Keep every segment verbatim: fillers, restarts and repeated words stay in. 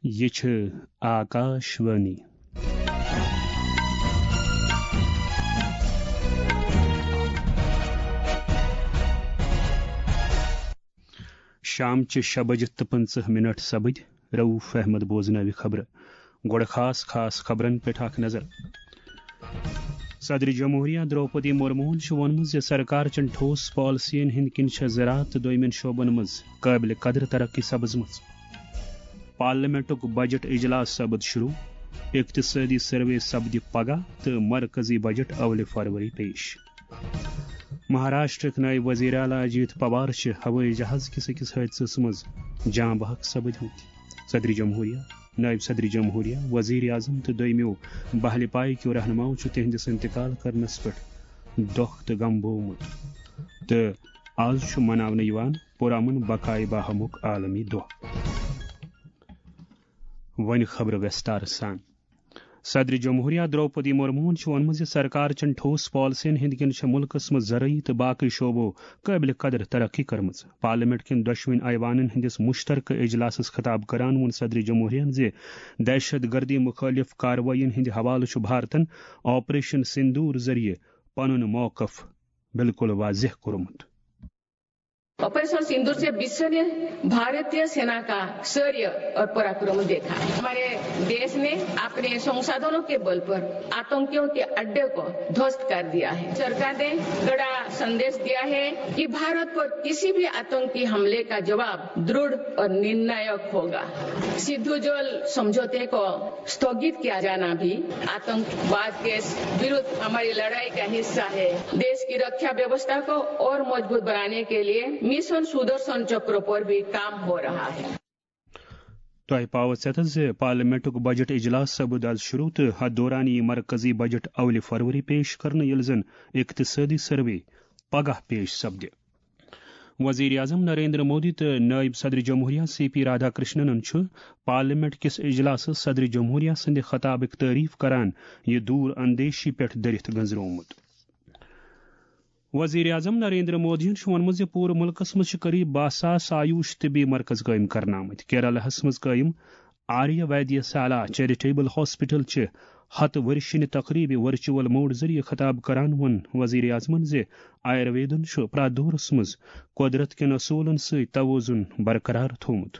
یہِ چھِ آکاش وانی۔ شام چہِ شےٚ بجہِ تہٕ پٕنٛژٕہ منٹ سپٕدۍ۔ رؤف احمد بوزناوِ خبرٕ۔ گۄڈٕ خاص خاص خبرن پٮ۪ٹھ اکھ نظر۔ صدر جمہوریہ درٛوپدی مرموہن چھُ ووٚنمُت زِ سرکار چٮ۪ن ٹھوس پالیسین ہٕنٛدۍ کِنۍ چھےٚ زراعت تہٕ دوٚیمٮ۪ن شعبن منٛز قٲبلِ قدر ترقی سپٕزمٕژ۔ پارلیمنٹُک بجٹ اجلاس سپُد شروع، اقتصٲدی سروے سپدِ پگاہ تہٕ مرکزی بجٹ اولِ فروری پیش۔ مہاراشٹرٕکۍ نٲیِب وزیر اعلیٰ اجیت پوار چھِ ہوٲیی جہاز کِس أکِس حٲدثس منٛز جاں بحق سپٕدمٕتۍ۔ صدر جمہوریہ، نٲیِب صدر جمہوریہ، وزیر اعظم تہٕ دوٚیمِیو بحلِ پایہِ کیو رہنماو چھُ تِہنٛدِس انتقال کرنس پٮ۪ٹھ دۄکھ تہٕ غم بوومُت تہٕ آز چھُ مناونہٕ یِوان پُرامن بقائے باہمُک عالمی دۄہ۔ وۄنۍ خبرٕ ویستار سان۔ صدر جمہوریہ درٛوپدی مرموہن چھُ ووٚنمُت زِ سرکار چٮ۪ن ٹھوس پالیسین ہٕنٛدۍ کِنۍ چھےٚ مُلکس منٛز زرعی تہٕ باقٕے شعبو قٲبلِ قدر ترقی کٔرمٕژ۔ پارلیمنٹ کٮ۪ن دۄشوٕنۍ ایوانن ہٕنٛدِس مُشترکہٕ اجلاسس خطاب کران ووٚن صدر جمہوریہن زِ دہشت گردی مُخٲلف کاروٲیین ہٕنٛدِ حوالہٕ چھُ بھارتن آپریشن سندور ذٔریعہٕ پنُن موقف بالکل واضح کوٚرمُت۔ ऑपरेशन सिंदूर से विश्व ने भारतीय सेना का शौर्य और पराक्रम देखा है। हमारे देश ने अपने संसाधनों के बल पर आतंकियों के अड्डे को ध्वस्त कर दिया है। सरकार ने कड़ा संदेश दिया है कि भारत पर किसी भी आतंकी हमले का जवाब दृढ़ और निर्णायक होगा। सिद्धू जल समझौते को स्थगित किया जाना भी आतंकवाद के विरुद्ध हमारी लड़ाई का हिस्सा है। देश की रक्षा व्यवस्था को और मजबूत बनाने के लिए मिशन सुदर्शन चक्र पर भी काम हो रहा है। تۄہہِ پاوٕ ژٮ۪تس زِ پارلیمنٹُک بجٹ اجلاس سپُد از شروع تہٕ اتھ دوران یِیہِ مرکزی بجٹ اولِ فروری پیش کرنہٕ، ییٚلہِ زن اقتصٲدی سروے پگاہ پیش سپدِ۔ وزیر اعظم نریندر مودی تہٕ نائب صدر جمہوریہ سی پی رادھا کرشننن چھُ پارلیمنٹ کِس اجلاسس صدر جمہوریہ سٕنٛدِ خطابٕک تعریف کران یہِ دور اندیشی پٮ۪ٹھ دٔرِتھ گنزرومُت۔ وزیر اعظم نریندر مودیَن چھُ ووٚنمُت زِ پوٗرٕ مُلکَس منٛز چھِ قریب باہ ساس آیوش طبی مرکز قٲیِم کرنہٕ آمٕتۍ۔ کیرالہَس منٛز قٲیِم آریہ ویدیہ سالا چیریٹیبل ہاسپٹل چہِ ہتہٕ ؤرشِنہِ تقریبہِ ورچوئل موڈ ذٔریعہٕ خطاب کران ووٚن وزیر اعظمَن زِ آیُرویدن چھُ پرٛٮ۪تھ دورس منٛز قۄدرت کٮ۪ن اصوٗلن سۭتۍ توازن برقرار تھوومُت۔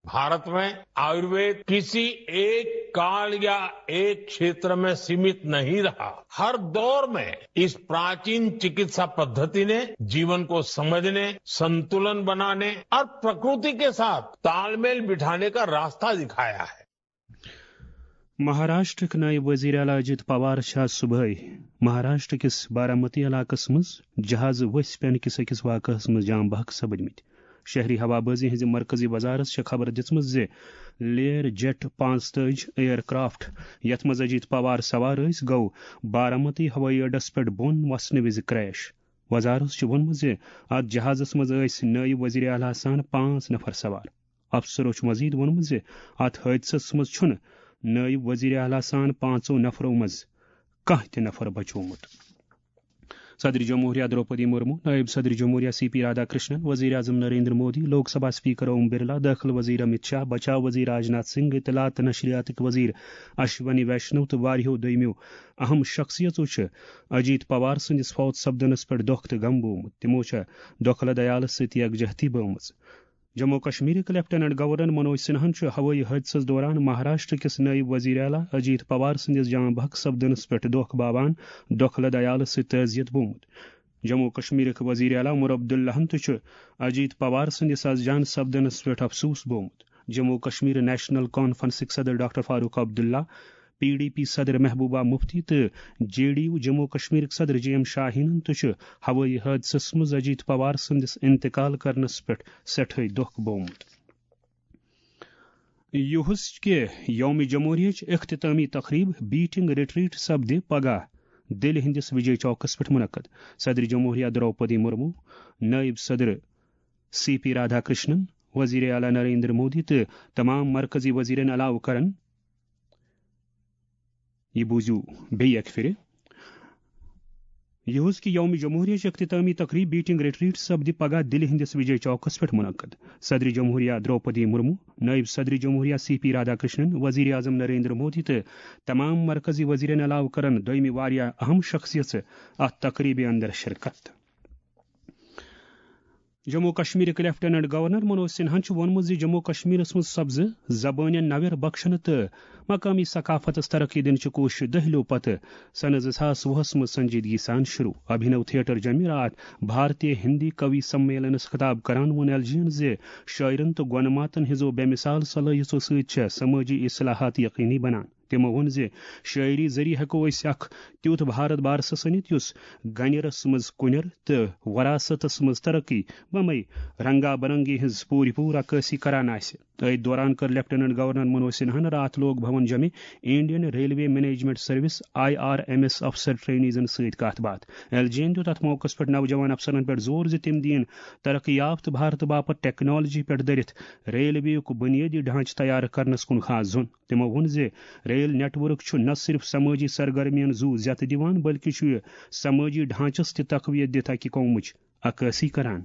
भारत में आयुर्वेद किसी एक काल या एक क्षेत्र में सीमित नहीं रहा। हर दौर में इस प्राचीन चिकित्सा पद्धति ने जीवन को समझने, संतुलन बनाने और प्रकृति के साथ तालमेल बिठाने का रास्ता दिखाया है। مہاراشٹرٕکۍ نٲیِب وزیر اعلیٰ اجیت پوار چھِ آز صبحٲے مہاراشٹر کِس بارامتی علاقس منٛز جہازٕ ؤسۍ پٮ۪نہٕ کِس أکِس واقعس منٛز جام بحق سپٕدمٕتۍ۔ شہری ہوابازی ہٕنٛزِ مرکزی وزارت چھےٚ خبر دِژمٕژ زِ لیر جیٹ پانٛژتٲجۍ ایئر کرافٹ، یتھ منٛز اجیت پوار سوار ٲسۍ، گوٚو بارامتی ہوٲیی اڈس پٮ۪ٹھ بۄن وسنہٕ وِزِ کریش۔ وزارت چھُ ووٚنمُت زِ اتھ جہازس منٛز ٲسۍ نٲیِب وزیر اعلیٰ سان پانٛژھ نفر سوار۔ افسرو چھُ مزید ووٚنمُت زِ اتھ حٲدثس منٛز چھُنہٕ نٲیِب وزیر اعلیٰ سان پانٛژو نفرو منٛز کانٛہہ تہِ نفر بچومُت۔ صدر جمہوریہ درٛوپدی مرمو، نٲیِب صدر جمہوریہ سی پی رادھا کرشنن، وزیر اعظم نریندر مودی، لوک سبھا اسپیکر اوم برلا، دٲخلہٕ وزیر امیت شاہ، بچاو وزیر راجناتھ سنگھ، اطلاعات تہٕ نشریاتٕکۍ وزیر اشونی ویشنو تہٕ واریاہو دوٚیمِیو اہم شخصیژو چھِ اجیت پوار سٕنٛدِس فوت سپدنس پٮ۪ٹھ دۄکھ تہٕ غم بوومُت۔ تِمو چھےٚ دۄکھلہٕ دیالس سۭتۍ یکجہتی بٲومٕژ۔ جموں و کشمیرٕکۍ لیفٹیننٹ گورنر منوج سنہاہن چھُ ہوٲیی حٲدثس دوران مہاراشٹر کِس نٲیِب وزیر اعلیٰ اجیت پوار سٕنٛدِس جان بحق سپدنس پٮ۪ٹھ دۄکھ باوان دۄکھلہٕ دیالس سۭتۍ تعزیت بوومُت۔ جموں و کشمیرٕکۍ وزیر اعلیٰ عمر عبداللہن تہِ چھُ اجیت پوار سٕنٛدِس از جان سپدنس پٮ۪ٹھ افسوس بوومُت۔ جموں و کشمیر نیشنل کانفرنسٕکۍ صدر doctor Farooq Abdullah, P D P صدر محبوبہ مفتی تہٕ جے ڈی یو جموں و کشمیرٕکۍ صدر جے ایم شاہینن تہِ چھُ ہوٲیی حٲدثس منٛز اجیت پوار سٕنٛدِس انتقال کرنس پٮ۪ٹھ سٮ۪ٹھاے دۄکھ بوومُت۔ یوہس کہِ یوم جمہوریہٕچ اختتامی تقریب بیٹنگ ریٹریٹ سپدِ پگاہ دِلہِ ہٕنٛدِس وجے چوکس پٮ۪ٹھ منعقد۔ صدر جمہوریہ درٛوپدی مرمو، نٲیِب صدر سی پی رادھا کرشنن، وزیر اعلیٰ نریندر مودی تہٕ تمام مرکزی وزیرن علاوٕ کرن، یہِ بوٗزِو بیٚیہِ اکہِ پھِرِ، یُہُس کہِ یوم جمہوریہ چہِ اختتامی تقریب بیٹنگ ریٹریٹ سپدِ پگاہ دِلہِ ہٕنٛدِس وجے چوکس پٮ۪ٹھ منعقد۔ صدر جمہوریہ درٛوپدی مرمو، نٲیِب صدر جمہوریہ سی پی رادھاکرشنن، وزیر اعظم نریندر مودی تہٕ تمام مرکزی وزیرن علاوٕ کرن دوٚیمہِ واریاہ اہم شخصیژٕ اتھ تقریبہِ اندر شرکت۔ جموں کشمیرٕکۍ لیفٹیننٹ گورنر منوج سنہاہن چھُ ووٚنمُت زِ جموں کشمیرس منٛز سبزٕ زبٲنٮ۪ن نویر بخشنہٕ تہٕ مقامی ثقافتس ترقی دِنٕچہِ کوٗششہِ دٔہلِو پتہٕ سنہٕ زٕ ساس وُہس منٛز سنجیدگی سان شروع۔ ابھینو تھیٹر جمعرات بھارتیہ ہندی کوی سمیلنس خطاب کران ووٚن ایل جی ین زِ شٲعرن تہٕ گۄنہٕ ماتن ہٕنٛزو بے مثال صلٲحیژو سۭتۍ چھےٚ سمٲجی اصلاحات یقینی بنان۔ تِمو ووٚن زِ شٲعری ذٔریعہٕ ہٮ۪کو أسۍ اکھ تیُتھ بھارت بارسس أنِتھ یُس گنیرس منٛز کُنیر تہٕ وراثتس منٛز ترقی بمے رنگا برنگی ہٕنٛز پوٗرٕ پوٗرٕ عکٲسی کران آسہِ۔ أتھۍ دوران کٔر لیفٹیننٹ گورنر منوج سنہاہن راتھ لوک بھون جمع Indian railway management service I R M S افسر ٹرینیزن سۭتۍ کتھ باتھ۔ ایل جی ین دیُت اتھ موقعس پٮ۪ٹھ نوجوان افسرن پٮ۪ٹھ زور زِ تِم دِیِن ترقی یافتہٕ بھارتہٕ باپتھ ٹیکنالوجی پٮ۪ٹھ دٔرِتھ ریلوے یُک بُنیٲدی ڈھانچہٕ تیار کرنس کُن خاص زوٚن۔ تِمو ووٚن زِ ریل نیٹ ورک چھُ نہ صرف سمٲجی سرگرمیَن زُو زیتہٕ دِوان، بلکہِ چھُ یہِ سمٲجی ڈھانچس تہِ تقویت دِتھ اکہِ قومٕچ عکٲسی کران۔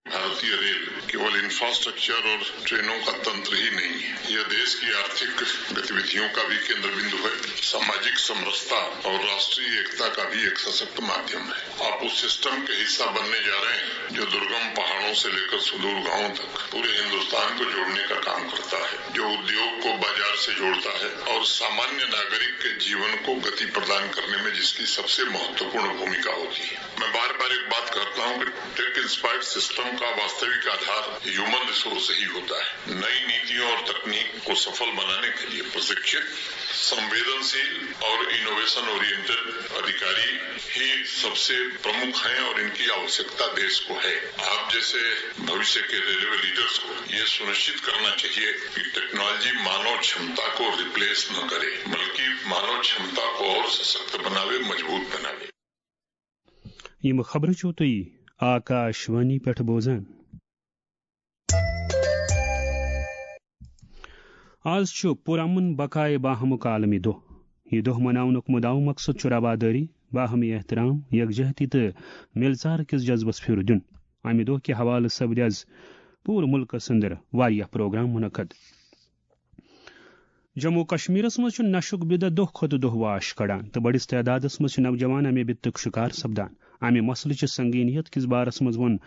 بھارتیہ ریل کیول انفراسٹرکچر اور ٹرینوں کا تنتر ہی نہیں ہے، یہ دیش کی آرتھک گتیویدھیوں کا بھی کیندر بندو ہے، ساماجک سمرستا اور راشٹریہ ایکتا کا بھی ایک سشکت مادھیم ہے۔ آپ اس سسٹم کے حصہ بننے جا رہے ہیں جو درگم پہاڑوں سے لے کر سدور گاؤں تک پورے ہندوستان کو جوڑنے کا کام کرتا ہے، جو ادیوگ کو بازار سے جوڑتا ہے اور سامانیہ ناگرک کے جیون کو گتی پردان کرنے میں جس کی سب سے مہتوپورن بھومکا ہوتی ہے۔ میں بار بار ایک بات کرتا ہوں کہ ٹیک انسپائرڈ سسٹم کا واستوک آدھار ہیومن ریسورس ہی ہوتا ہے۔ نئی نیتیوں اور تکنیک کو سفل بنانے کے لیے پرشکشت، سنویدنشیل اور انوویشن اورینٹڈ ادھیکاری ہی سب سے پرمکھ ہیں اور ان کی آوشکتا دیش کو ہے۔ آپ جیسے بھوشیہ کے ریلوے لیڈرز کو یہ سنشچت کرنا چاہیے کہ ٹیکنالوجی مانو چھمتا کو ریپلیس نہ کرے، بلکہ مانو چھمتا کو اور سشکت بناوے، مضبوط بناوے۔ یِم خبرٕ چھِو تُہۍ آکاشوانی پٮ۪ٹھ بوزان۔ آز چھُ پُرامن بقائے باہمُک عالمی دۄہ۔ یہِ دۄہ مناونُک مُدعا مقصد چھُ روادٲری، باہمی احترام، یکجہتی تہٕ مِلژار کِس جذبس پھِرٕ دیُن۔ امہِ دۄہ کہِ حوالہٕ سپدِ از پوٗرٕ مُلکس اندر واریاہ پروگرام منعقد۔ جموں و کشمیرس منٛز چھُ نشُک بدعت دۄہ کھۄتہٕ دۄہ واش کڑان تہٕ بٔڑِس تعدادس منٛز چھِ نوجوان امہِ بدعتُک شکار سپدان۔ امہِ مسلہٕ چہِ سنگینیت کِس بارس منٛز ووٚن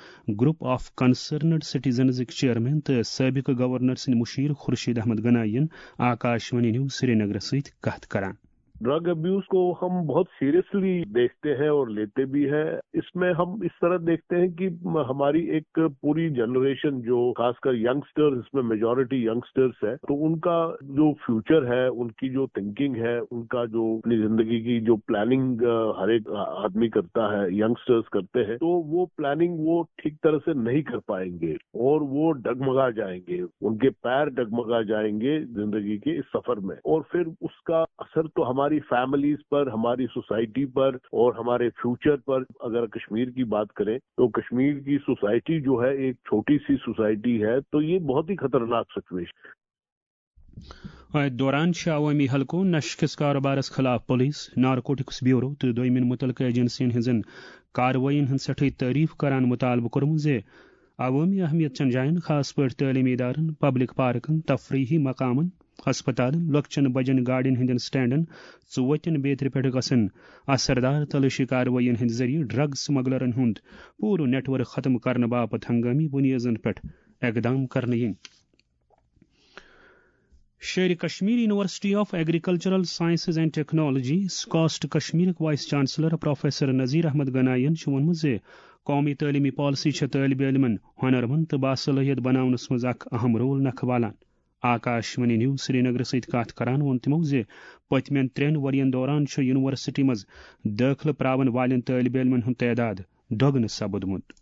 گروپ آف کنسرنڈ سٹیزنزٕکۍ چیئرمین تہٕ سٲبقہٕ گورنر سٕنٛدۍ مُشیر خورشید احمد گنایی ین آکاشوانی نیوز سرینگرس سۭتۍ کتھ کران۔ ڈرگ ابیوز کو ہم بہت سیریسلی دیکھتے ہیں اور لیتے بھی ہیں۔ اس میں ہم اس طرح دیکھتے ہیں کہ ہماری ایک پوری جنریشن، جو خاص کر ینگسٹر، اس میں میجورٹی ینگسٹرز ہے، تو ان کا جو فیوچر ہے، ان کی جو تھنکنگ ہے، ان کا جو اپنی زندگی کی جو پلاننگ ہر ایک آدمی کرتا ہے، ینگسٹرز کرتے ہیں، تو وہ پلاننگ وہ ٹھیک طرح سے نہیں کر پائیں گے اور وہ ڈگمگا جائیں گے، ان کے پیر ڈگمگا جائیں گے زندگی کے اس سفر میں۔ اور پھر اس کا اثر تو ہماری فیملیز پر، ہماری سوسائٹی پر اور ہمارے فیوچر پر۔ اگر کشمیر کی بات کریں تو کشمیر کی سوسائٹی جو ہے، ایک چھوٹی سی سوسائٹی ہے، تو یہ بہت ہی خطرناک سچویشن۔ اتھ دوران چھِ عوٲمی حلقو نشہٕ کِس کاروبارس خلاف پُلیٖس، نارکوٹکس بیورو تہٕ دوٚیمٮ۪ن مُتعلقہٕ ایجنسین ہٕنٛزن کاروٲیین ہٕنٛز سٮ۪ٹھٕے تعریف کران مُطالبہٕ کوٚرمُت زِ عوٲمی اہمیت چٮ۪ن جاین، خاص پٲٹھۍ تعلیمی ادارن، پبلک پارکن، تفریحی مقامن، ہسپتالن، لۄکچٮ۪ن بجن گاڑٮ۪ن ہٕنٛدٮ۪ن سٹینڈن، ژوتٮ۪ن بیترِ پٮ۪ٹھ گژھن اثردار تلٲشی کاروٲیین ہٕنٛدِ ذٔریعہٕ ڈرگ سمگلرن ہُنٛد پوٗرٕ نیٹ ورک ختم کرنہٕ باپتھ ہنگٲمی بُنیادن پٮ۪ٹھ اقدام کرنہٕ یِنۍ۔ شیرِ Kashmir university of agricultural sciences and technology, SKUAST کشمیرٕکۍ vice chancellor professor Nazir Ahmad گناین چھُ ووٚنمُت زِ قومی تعلیمی پالیسی چھےٚ طٲلبِ علمن ہُنر مند تہٕ باصلٲحیت بناونس منٛز اکھ اہم رول نکھٕ والان۔ آکاشوانی نیوز سرینگرٕ سۭتۍ کتھ کران ووٚن تِمو زِ پٔتمٮ۪ن ترٛٮ۪ن ؤرین دوران چھُ یونیورسٹی منٛز دٲخلہٕ پراون والٮ۪ن طٲلبِ علمن ہُنٛد تعداد دۄگنہٕ سپُدمُت۔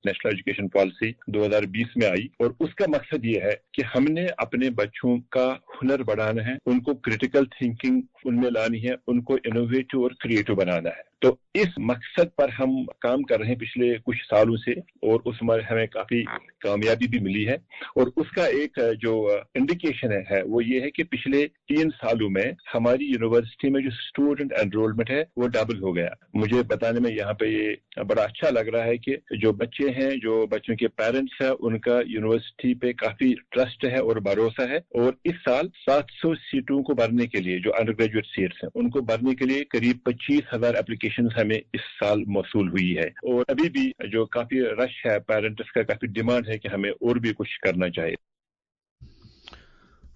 نیشنل ایجوکیشن پالیسی دو ہزار بیس میں آئی اور اس کا مقصد یہ ہے کہ ہم نے اپنے بچوں کا ہنر بڑھانا ہے، ان کو کرٹیکل تھنکنگ ان میں لانی ہے، ان کو انوویٹو اور کریٹو بنانا ہے۔ تو اس مقصد پر ہم کام کر رہے ہیں پچھلے کچھ سالوں سے، اور اس میں ہمیں کافی کامیابی بھی ملی ہے۔ اور اس کا ایک جو انڈیکیشن ہے، ہے وہ یہ ہے کہ پچھلے تین سالوں میں ہماری یونیورسٹی میں جو اسٹوڈنٹ انرولمنٹ ہے، وہ ڈبل ہو گیا۔ مجھے بتانے میں یہاں پہ یہ بڑا اچھا لگ رہا ہے کہ جو بچے ہیں، جو بچوں کے پیرنٹس ہیں، ان کا یونیورسٹی پہ کافی ٹرسٹ ہے اور بھروسہ ہے، اور اس سال سات سو سیٹوں کو بھرنے کے لیے، جو انڈر گریجویٹ سیٹس ہیں، ان کو بھرنے کے لیے قریب پچیس ہزار اپلیکیشن ہمیں اس سال موصول ہوئی ہے، اور ابھی بھی جو کافی رش ہے پیرنٹس کا، کافی ڈیمانڈ ہے کہ ہمیں اور بھی کچھ کرنا چاہیے۔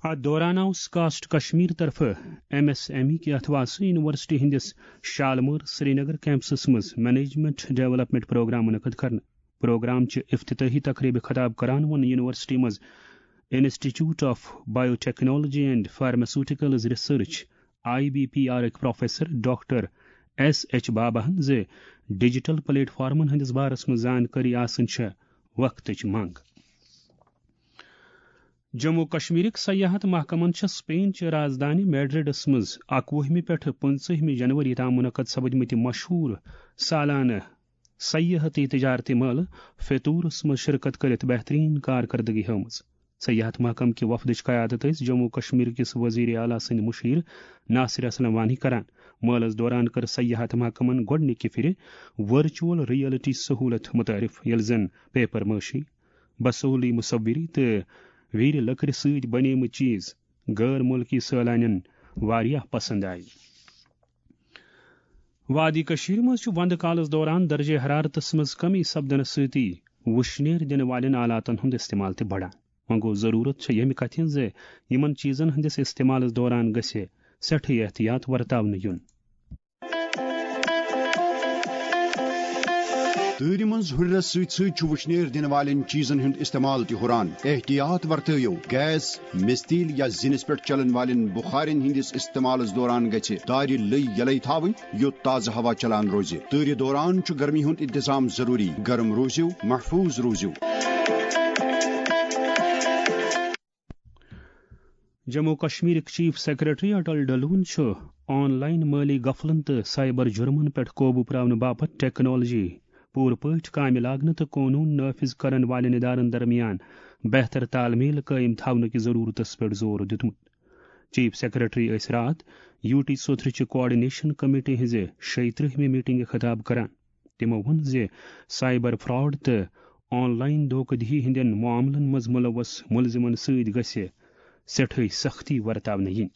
اتھ دوران آو سکاسٹ کشمیر طرفہٕ ایم ایس ایم ای کہِ اتھواسہٕ یونیورسٹی ہٕنٛدِس شالمٲر سرینگر کیمپسس منٛز مینجمنٹ ڈیولپمنٹ پروگرام منعقد کرنہٕ۔ پروگرام چہِ افتتاحی تقریبہِ خطاب کران ووٚن یونیورسٹی منٛز institute of bio technology and pharmaceuticals research, I B P R, ٕکۍ پروفیسر ڈاکٹر ایس ایچ باباہن زِ ڈیجیٹل پلیٹ فارمن ہٕنٛدِس بارس منٛز زانکٲری آسٕنۍ چھےٚ وقتٕچ منٛگ۔ جموں و کشمیرٕکۍ سیاحت محکمن چھےٚ سپین چہِ رازدٲنۍ میڈرڈس منٛز اکوُہمہِ پٮ۪ٹھٕ پٕنٛژٕہمہِ جنوری تام منعقد سپدمٕتہِ مشہوٗر سالانہٕ سیاحتی تجارتی مٲلہٕ فیتورس منٛز شرکت کٔرِتھ بہتریٖن کارکردگی ہٲومٕژ۔ سیاحت محکمہٕ کہِ وفدٕچ قیادت ٲسۍ جموں و کشمیر کِس وزیر اعلیٰ سٕنٛدۍ مُشیر ناصر اسلم وانی کران۔ مٲلَس دوران کٔر سیاحت محکمَن گۄڈٕنِکہِ پھِرِ ورچوئل ریئلٹی سہولت متعارف، ییٚلہِ زَن پیپر مٲشی، بصولی مصوری تہٕ ویرِ لٔکرِ سۭتۍ بنیمٕتۍ چیز غٲر مُلکی سٲلانٮ۪ن واریاہ پسند آیہِ۔ وادی کٔشیٖرِ منٛز چھُ وندٕ کالَس دوران درجہ حرارتَس منٛز کمی سپدنہٕ سۭتی وُشنیر دِنہٕ والٮ۪ن آلاتَن ہُنٛد استعمال تہِ بڑان۔ وۄنۍ گوٚو، ضروٗرت چھےٚ ییٚمہِ کَتھِ ہِنٛز زِ یِمَن چیٖزَن ہٕنٛدِس استعمالَس دوران گژھِ سٮ۪ٹھٕے احتیاط ورتاونہٕ یُن۔ تۭرِ منٛز ہُرٮ۪رس سۭتۍ سۭتۍ چھُ وُشنیر دِنہٕ والٮ۪ن چیٖزن ہُنٛد استعمال تہِ ہُران۔ احتیاط ورتٲیِو، گیس، مِستیٖل یا زِنِس پٮ۪ٹھ چلن والٮ۪ن بُخارٮ۪ن ہٕنٛدِس استعمالس دوران گژھِ دارِ لٔے یَلَے تھاوٕنۍ، یوٚت تازٕ ہوا چلان روزِ۔ تۭرِ دوران چھُ گرمی ہُنٛد انتظام ضروٗری۔ گرم روٗزِو، محفوٗظ روٗزِو۔ جموں و کشمیرٕکۍ چیف سیکرٹری اٹل ڈلون چھُ آن لائن مٲلی غفلن تہٕ سائبر جرمن پٮ۪ٹھ قوبوٗ پراونہٕ باپتھ ٹیکنالوجی پوٗرٕ پٲٹھۍ کامہِ لاگنہٕ تہٕ قونوٗن نافذ کرن والٮ۪ن ادارن درمیان بہتر تال میل قٲیِم تھاونہٕ کِس ضروٗرتس پٮ۪ٹھ زور دیُتمُت۔ چیف سیکرٹری ٲسۍ راتھ یو ٹی سوتھرٕ چہِ کوآرڈینیشن کمیٹی ہٕنٛزِ شیٚیہِ ترٕٛہمہِ میٹنگہِ خطاب کران۔ تِمو ووٚن زِ سائبر فراڈ تہٕ آن لائن دھوکہ دہی ہٕنٛدٮ۪ن معاملن منٛز ملوث ملزمن سۭتۍ گژھِ سٮ۪ٹھٕے سختی ورتاونہٕ یِنۍ۔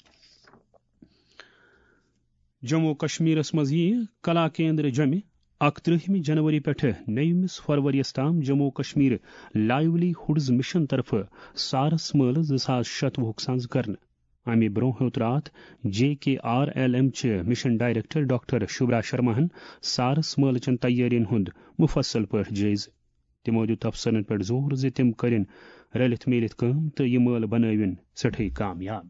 جموں و کشمیرس منٛز یِیہِ کلا کیندر جمہِ اکترٕہمہِ جنوری پٮ۪ٹھٕ نٔیمِس فروریَس تام جموں و کشمیر لائیولی ہُڈز مشن طرفہٕ سارس مٲلہٕ زٕ ساس شتوُہُک سنز کرنہٕ۔ امہِ برونٛہہ ہیوٚت راتھ جے کے آر ایل ایم چہِ مشن ڈائریکٹر ڈاکٹر شبرا شرماہن سارس مٲلہٕ چٮ۪ن تیٲرین ہُنٛد مفصل پٲٹھۍ جٲیزٕ۔ تِمو دیُت افسرن پٮ۪ٹھ زور زِ تِم کٔرِن رٔلِتھ میٖلِتھ کٲم تہٕ یہِ مٲلہٕ بنٲوِن سٮ۪ٹھٕے کامیاب۔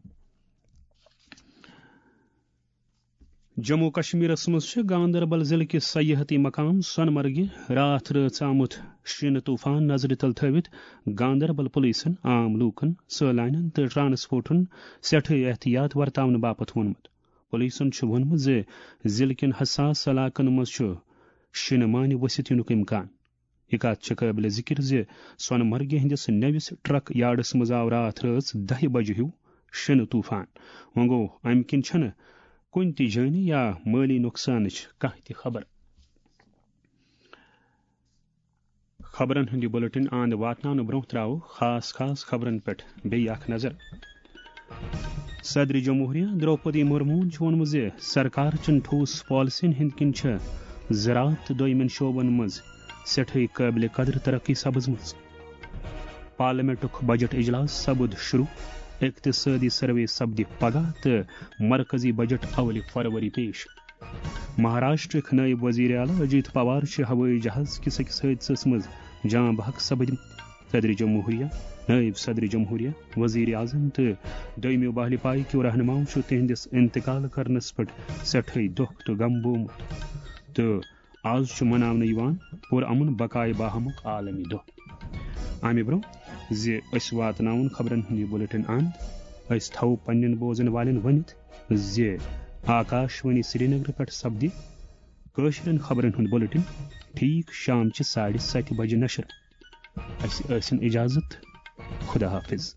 جموں و کشمیرس منٛز چھِ گاندربل ضلعہٕ کِس سیاحتی مقام سۄنہٕ مرگہِ راتھ رٲژ آمُت شِنہٕ طوفان نظرِ تل تھٲوِتھ گاندربل پولیسن عام لوٗکن، سٲلانٮ۪ن تہٕ ٹرانسپورٹن سٮ۪ٹھٕے احتیاط ورتاونہٕ باپتھ ووٚنمُت۔ پولیسن چھُ ووٚنمُت زِ ضلعہٕ کٮ۪ن حساس علاقن منٛز چھُ شِنہٕ مانہِ ؤسِتھ یِنُک امکان۔ یہِ کتھ چھِ قٲبلِ ذِکِر زِ سۄنہٕ مرگہِ ہٕنٛدِس نٔوِس ٹرک یارڈس منٛز آو راتھ رٲژ دَہہِ بجہِ ہیوٗ شِنہٕ طوفان۔ وۄنۍ گوٚو، امہِ کِنۍ چھَنہٕ کُنہِ تہِ جٲنی یا مٲلی نۄقصانٕچ کانٛہہ تہِ خبر۔ خبرن ہُنٛد یہِ بُلٹن اند واتناونہٕ برٛونٛہہ ترٛاوو خاص خاص خبرن پٮ۪ٹھ بیٚیہِ اکھ نظر۔ صدر جمہوریہ درٛوپدی مرموٗہن چھُ ووٚنمُت زِ سرکار چٮ۪ن ٹھوس پالیسین ہٕنٛدۍ کِنۍ چھےٚ زراعت تہٕ دوٚیمٮ۪ن شعبن منٛز سٮ۪ٹھٕے قٲبلِ قدر ترقی سپٕزمٕژ۔ پارلیمنٹُک بجٹ اجلاس سپُد شروع، اقتصٲدی سروے سپدِ پگاہ تہٕ مرکزی بجٹ اولِ فروری پیش۔ مہاراشٹرٕکۍ نٲیِب وزیر اعلیٰ اجیت پوار چھِ ہوٲیی جہاز کِس أکِس حٲدثس منٛز جاں بحق سپٕدمٕتۍ۔ صدر جمہوریہ، نٲیِب صدر جمہوریہ، وزیر اعظم تہٕ دوٚیمِیو بحلی پایہِ کیو رہنماؤں چھُ تِہنٛدِس انتقال کرنس پٮ۪ٹھ سٮ۪ٹھٕے دۄکھ تہٕ غم بومُت تہٕ آز چھُ مناونہٕ یِوان پُرامن بقائے باہمُک عالمی دۄہ۔ امہِ برٛونٛہہ زِ أسۍ واتناوون خبرن ہُنٛد یہِ بُلٹن اند، أسۍ تھاوو پننٮ۪ن بوزن والٮ۪ن ؤنِتھ زِ آکاشوانی سرینگرٕ پٮ۪ٹھ سپدِ کٲشرٮ۪ن خبرن ہُنٛد بُلٹن ٹھیٖک شام چہِ ساڑِ ستہِ بجہِ نشر۔ اسہِ ٲسِن اجازت۔ خدا حافظ۔